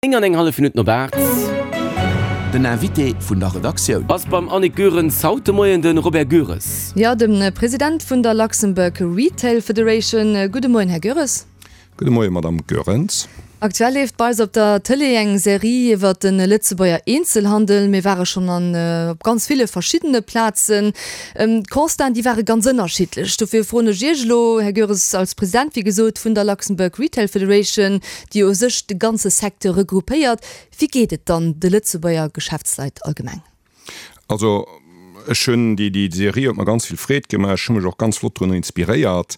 9 an eng hallef Minutt no 8. Den Invité vun der Redaktioun. Ass beim Annick Goerens haut de Moien de Robert Goeres. Jo, de President vun der Luxembourg Retail Federation. Gudde Moien, Här Goeres. Gudde Moien, Madamm Goerens. Aktuell leeft bei eis op der Tëlee eng Serie iwwer de Lëtzebuerger Eenzelhandel. Mir ware schonn an op ganz ville verschiddene Plazen. D'Constaten, déi ware ganz ënnerschiddlech. Dofir froen ech Iech elo, Här Goeres, als President, wéi gesot, vun der Luxembourg Retail Federation, déi u sech de ganze Secteur regroupéiert. Wéi geet et dann de Lëtzebuerger Geschäftsleit allgemeng? Also ech hunn, déi déi Serie huet mer ganz vill Freed gemaach, ech hu mech och ganz flott drun inspiréiert.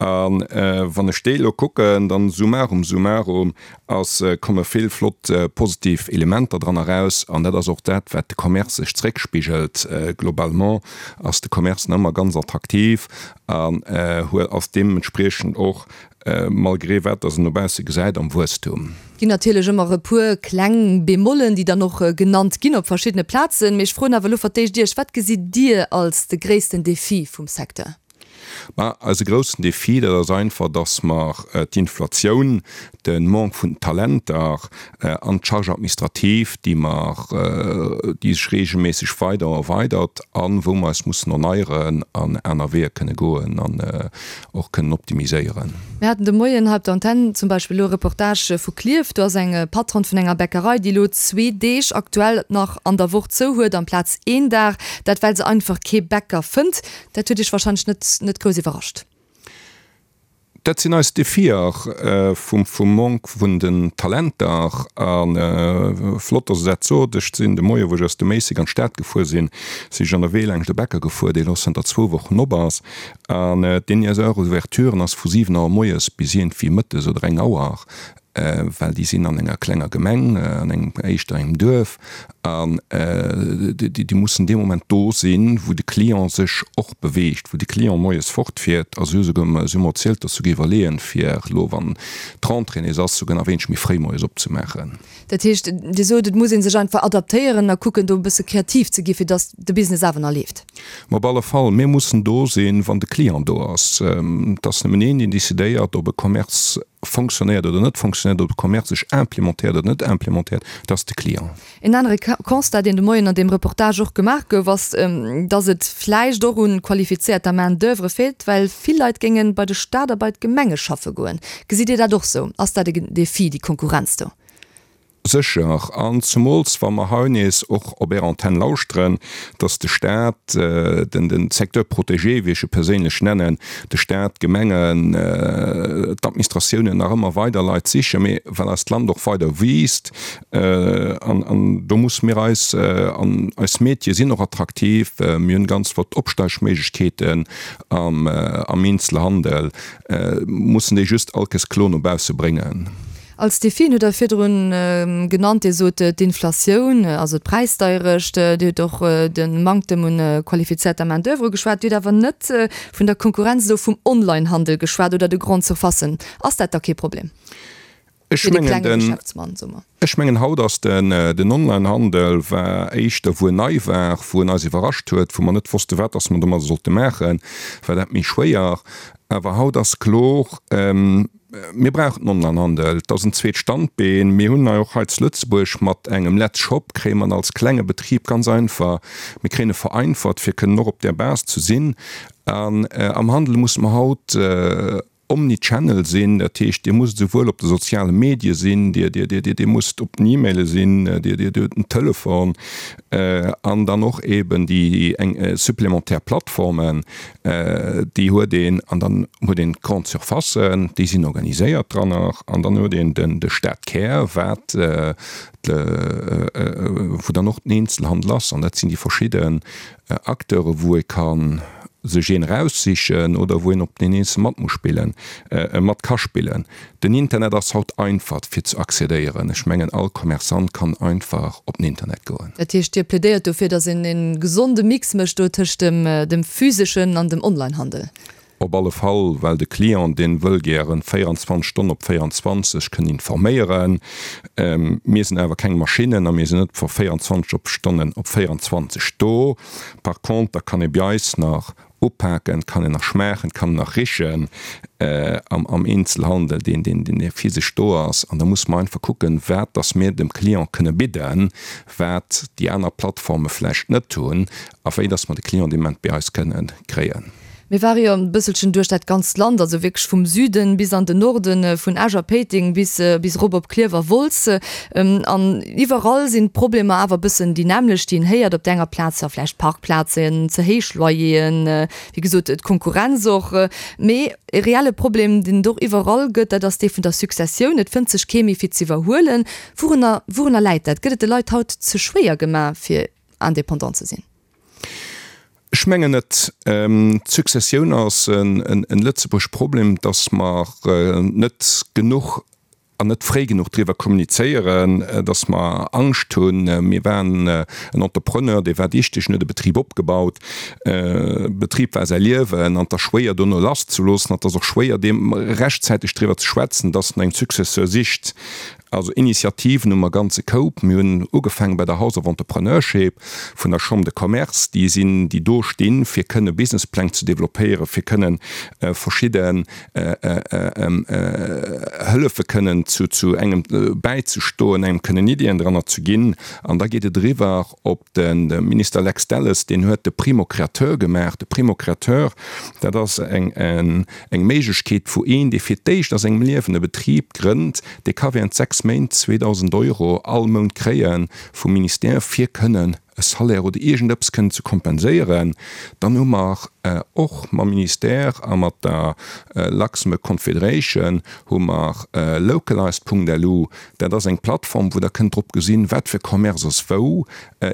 A wann ech déi elo kucken, dann summarum summarum ass, komme vill flott positiv Elementer dran eraus. An dat ass och dat, wat de Commerce sech zréckspigelt. Globalement ass de Commerce nach ëmmer ganz attraktiv an ass deementspriechend och Malgré wat dass en no bausse gesäit, am Wuesstum. Ginn natierlech ëmmer e puer kleng Bémollen, déi dann och genannt ginn op verschiddene Plazen. Mee ech froen awer elo fir d'éischt Iech, Wat gesitt Dir als de gréissten Defi vum Secteur? Ma eise groussen Defi, dat ass einfach, dass mer d'Inflatioun, de Manque vun Talenter an d'Charge administrative, déi mer, déi sech regelméisseg weider erweidert a wou mer eis mussen erneieren an aner Weeër kënne goen an och kënnen optimiséieren. Mir haten de Moien hei op der Antenn zum Beispill elo e Reportage vu Klierf. Do ass eng Patronne vun enger Bäckerei, déi elo zwee Deeg aktuell nach an der Woch zou huet amplaz een Dag. Dat well se einfach kee Bäcker fënnt. Dat huet Iech warscheinlech net net grouss iwwerrascht. Dat sinn eis Defier vum Manque vun den Talenter. A flott, dass Der dat sot. Ech sinn de Moie wou ech aus dem Méisseg an d'Stad gefuer sinn, sinn ech an der Wee laangscht e Bäcker gefuer, dee elo zënter zwou Wochen op ass. An deen hir Heure d'ouverture ass vu 7 Auer moies bis iergendwéi mëttes oder eng Auer, well déi sinn an enger klenger Gemeng, an engem, éischter engem Duerf, an déi mussen dee Moment do sinn, wou de Client sech och beweegt, wou de Client moies fortfiert. A si hu souguer, si hu mer erzielt, datt se souguer iwwerleeën, fir elo, wann d'Rentrée nees ass, souguer nach wéineg méi fréi moies opzemaachen. Dat heescht, Dir sot, et muss ee sech einfach adaptéieren a kucken, do e bësse kreativ ze gi fir datt de Business awer nach leeft. Ma op alle Fall, mir mussen do sinn, wann de Client do ass. Et ass nëmmen een, deen decidéiert, ob e Commerce fonctionnéiert oder net fonctionnéiert, ob e Commerce sech implémentéiert oder net implémentéiert, dat ass de Client. En anere Constat, deen de Moien an deem Reportage och gemaach gouf, ass, datt et vläicht och un qualifizéierter Main d'oeuvre feelt, well vill Leit géinge bei de Staat a bei d'Gemenge schaffe goen. Gesitt Dir dat och sou? Ass dat e Defi, déi Konkurrenz do? Sécher, an zemools wa mer hei nees och op Är Antenn lauschteren, datt de Staat, den de Secteur protégé, wéi ech e perséinlech nennen, de Staat, d'Gemengen, d'Administratiounen nach ëmmer weider Leit sichen, mee well eist Land och weider wiisst, An do musse mir eis, an eis Métiere sinn och attraktiv, mir hunn ganz flott Opsteigméiglechkeeten am Eenzelhandel, mussen déi just all Kéiers kloer no bausse bréngen. Als Defien hutt Der virdrun genannt, Dir sot d'Inflatioun, also d'Präisdeierecht, Dir hutt och de Manktem un qualifizierter Main d'oeuvre ugeschwat, Dir hutt awer net vun der Konkurrenz elo vum Onlinehandel geschwat oder de Grandes Surfacen. Ass dat da kee Problem? Ech mengen den, ech mengen haut ass den, den Onlinehandel war éischter wou en nei war, wou en eis iwwerrascht huet, wou mer net wosste wat dass mer domadder sollte maachen, war dat méi schwéier. Awer haut ass kloer, mir brauchen den Onlinehandel, et ass en zweet Standbeen. Mir hunn hei och hei zu Lëtzebuerg mat engem Letzshop kréie mer en als klenge Betrib ganz einfach, mir kréien e vereinfacht fir kënnen och op där Base ze sinn. An am Handel musse mer haut Omnichannel sinn, dat heescht Dir musst esouwuel op de soziale Medie sinn, Dir, Dir, Dir, Dir musst op den E-Maile sinn, Dir, Dir hutt den Telefon an dann och eben déi eng supplémentaire Plattformen, déi huet een an dann huet een d'Grande Surfacen, déi sinn organiséiert dran nach an dann huet een den de Stadkär, wat wou dann och den Eenzelhandel ass an dat sinn déi verschidden Acteure wou ee ka sech een eraussichen oder wou een op den Eenzel mat muss spillen, mat ka spillen. Den Internet ass haut einfach fir ze accédéieren. Ech mengen all Commerçant kann einfach op den Internet goen. Dat heescht Dir plädéiert dofir, datt een e gesonde Mix mécht do tëscht dem physeschen an dem Onlinehandel? Op alle Fall, well de Client, deen wëll gären 24 Stonnen op 24 kënnen informéieren. Mir sinn awer keng Maschinnen a mir sinn net vu 24 op Stonnen op 24 do. Par conter kann ee bei eis nach. upaken, et kann een nach schmaachen, et kann een nach richen am Eenzelhandel, deen deen physesch do ass. An da musse mer einfach kucken, wat dass mir dem Client kënne bidden, wat déi aner Plattforme vläicht net hunn a wéi dass mer de Client dee Moment bei eis kënne kréien. Mir ware jo e bësselchen duerch dat ganzt Land, also wierklech vum Süden bis an den Norden, vun Esch a Péiteng bis bis erop op Klierf a Wolz. An iwwerall sinn d'Problemer awer e bëssen déi nämmlecht, déi een héiert. Op där enger Plaz jo vläicht Parkplazen, ze héich Loyeren, wéi gesot d'Konkurrenz och. Mee e reelle Problem, deen et och iwwerall gëtt, dat ass dee vun der Successioun. Et fënnt sech kee méi fir z'iwwerhuelen. Wourunner wourunner läit dat? Gëtt et de Leit haut ze schwéier gemaach, fir Indépendant ze sinn? Ech mengen net. D'Successioun ass en Lëtzebuerg Problem, datt mer net genuch an net fréi genuch driwwer kommunizéieren, datt mer Angscht hunn. Mir waren en Entrepreneur, dee war dichteg, en huet e Betrib opgebaut. Betrib war säi Liewen an et ass schwéier dono lasszeloossen. An et ass och schwéier deem rechtzäiteg driwwer ze schwätzen, datt en eng Successeur sicht. Also Initiativen hu mer ganze Koup. Mir hunn ugefaange bei der House of Entrepreneurship vun der Chambre de Commerce, déi sinn, déi do stinn, fir kënne Businesspläng ze développéieren, fir kënnen verschidden Hëllefe kënnen zu zu engem bäizestoen, engem kënnen Iddien dranner ze ginn. An da geet et eriwwer op de Minister Lex Delles, deen huet de Primo Créateur gemaach. De Primo Créateur, dat ass eng eng Méiglechkeet, wou een, dee fir d'éischt a sengem Liewen e Betrib grënnt, dee ka während 6 Méint 2.000 Euro all Mount kréie vum Ministère, fir kënnen e Salaire oder iergendeppes kënnen ze kompenséieren. Dann hu mer och mam Ministère a mat der Luxembourg Confederation hu mer localized.lu, dat ass eng Plattform, wou Der kënnt drop gesinn, wat fir Commerce ass wou,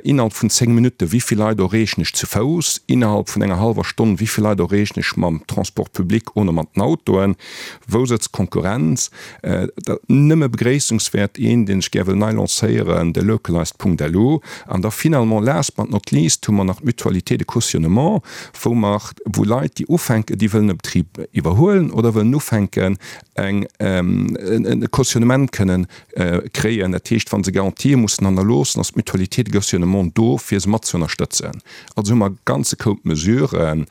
Innerhalb vun 10 Minutte, wéi vill Leit erreechen ech zu Fouss? Innerhalb vun enger hallwer Stonn, wéi vill Leit erreechen ech mam Transport public oder mat den Autoen? Wou sëtzt d'Konkurrenz? Dat nëmme begréissungswäert, een, deen ech gär wëll nei lancéieren, de localized.lu. An da finalement, last but not least, hu mer nach d'Mutualité de cautionnement, wou mer, wou Leit, déi ufänken, déi wëllen e Betrib iwwerhuelen oder wëllen ufänken, eng, e Cautionnement kënnen kréien. Dat heescht, wa se Garantië mussen hannerloossen, ass d'Mutualité de cautionnement do, fir se mat ze ënnerstëtzen. Also hu mer e ganze Koup Mesuren,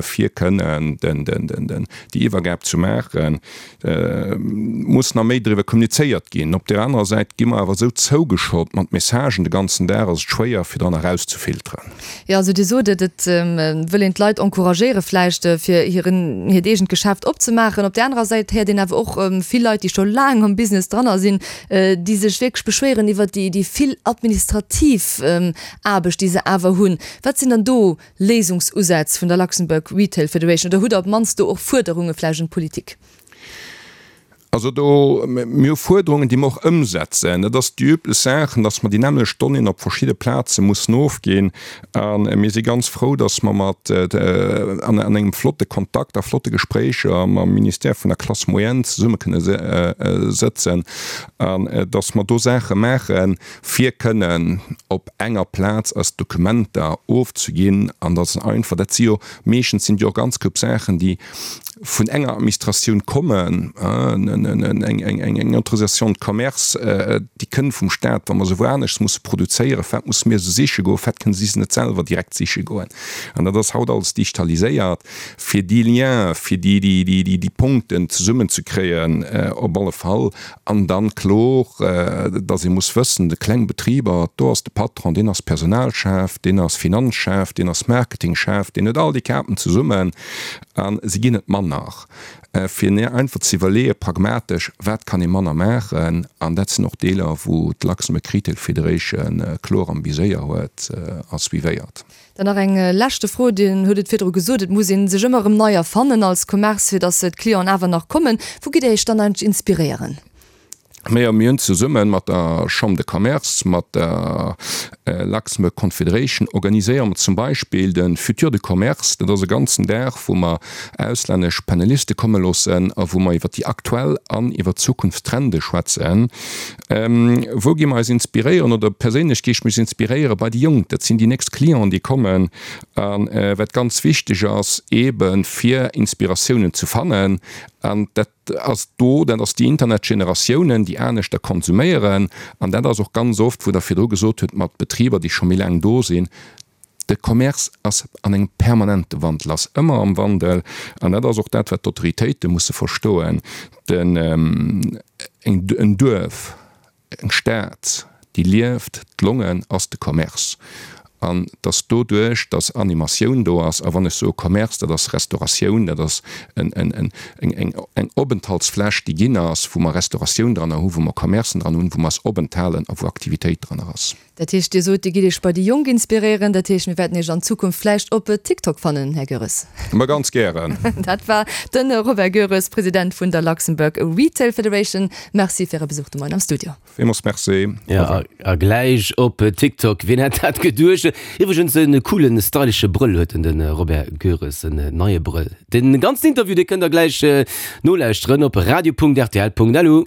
fir kënnen déi Iwwergab ze maachen. Muss nach méi driwwer kommunizéiert ginn. Op där anerer Säit gi mer awer esou zougeschott mat Messagen de ganzen Dag, ass et schwéier, fir dran erauszefilteren. Jo, also Dir sot et, et wëll een d'Leit encouragéiere vläicht, fir hiren, hiert eegent Geschäft opzemaachen. Op där anerer Säit héiert een awer och vill Leit, déi scho laang am Business dranner sinn, déi sech wierklech beschwéieren iwwert déi, déi vill administrativ Aarbecht, déi se awer hunn. Wat sinn dann do Léisungsusätz vun der Luxembourg Retail Federation? Oder hutt Der op d'mannst do och Fuerderunge vläicht un d'Politik? Also do, mir hu Fuerderungen, déi mer och ëmsetzen. Dat ass déi üblech Saachen, dass mer déi nämmlecht Donnéeën op verschidde Plaze mussen ofginn. A mir si ganz frou, dass mer mat an engem flotte Kontakt a flotte Gespréicher mam Ministère vun der Classe moyenne zesumme kënne sëtzen an dass mer do Saache maachen, fir kënnen op enger Plaz eis Dokumenter ofzeginn. An dass einfach, dat si jo meeschtens sinn et jo och ganz koup Saachen, déi vun enger Administratioun kommen, eng Autorisation de commerce, déi kënn vum Stat, wa mer se wou aneschts musse produzéieren, wat musse mir se siche goen, wat kënne si se net selwer direkt siche goen? An dat ass haut alles digitaliséiert, fir déi Lienen, fir déi Punkten zesummenzekréien op alle Fall. An dann kloer, dass ee muss wëssen, de kleng Betriber, do ass de Patron, deen ass Personalchef, deen ass Finanzchef, deen ass Marketingchef, deen huet all déi Kapen zesummen. A se ginn et manner. Fir einfach ze iwwerleeën, pragmatesch, wat kann ee manner maachen. An dat sinn och Deeler, wou d'Luxembourg Retail Federation kloer am Viséier huet a suivéiert. Dann nach eng leschte Fro. Dir hutt et virdru gesot, et muss ee sech ëmmer erëm nei erfannen als Commerce, fir datt d'Clienten awer nach kommen. Wou gitt Dir Iech dann eigentlech inspiréieren? Majo, mir hunn zesumme mat der Chambre de Commerce, mat der Luxembourg Confederation organiséiere mer zum Beispill de Futur du Commerce. Dat ass e ganzen Dag, wou mer auslännesch Paneliste komme loossen a wou mer iwwer déi aktuell an iwwer d'Zukunftstrende schwätzen. Wou gi mer eis inspiréieren oder perséinlech gi ech mech inspiréiere bei déi Jonk. Dat sinn déi nächst Clienten, déi kommen. A wat ganz wichteg ass, eebe fir Inspiratiounen ze fannen, an dat ass do, dat ass déi Internetgeneratiounen, déi aneschter konsuméieren. An dat ass och ganz oft, wou Der virdru gesot hutt, mat Betriber, déi scho méi laang do sinn. De Commerce ass an engem permanente Wandel, ass ëmmer am Wandel an dat ass och dat, wat d'Autoritéite musse verstoen. Den, en Duerf, eng Stad, déi lieft, d'Longen ass de Commerce. An dass doduerch, dass Animatioun do ass, a wann ech soe Commerce, dat ass Restauratioun, dat ass eng Openthaltsfläch, déi ginn ass, wou mer Restauratioun dranner hu, wou mer Commercen dran hunn, wou mer eis openthalen a wou Aktivitéit dranner ass. Dat heescht, Dir sot, Dir gitt Iech bei déi Jonk inspiréieren. Dat heescht, mir wäerten Iech an Zukunft vläicht op TikTok fannen, Här Goeres? Ma ganz gären. Dat war de Robert Goeres, President vun der Luxembourg Retail Federation. Merci fir Äre Besuch de Moien am Studio. Villmools Merci. Jo, a gläich op TikTok, wien hätt dat geduecht? Iwwregens e coolen, stylesche Brëll huet en, de Robert Goeres, en neie Brëll. Den ganzen Interview, dee kënnt der gläich nolauschteren op radio.rtl.lu.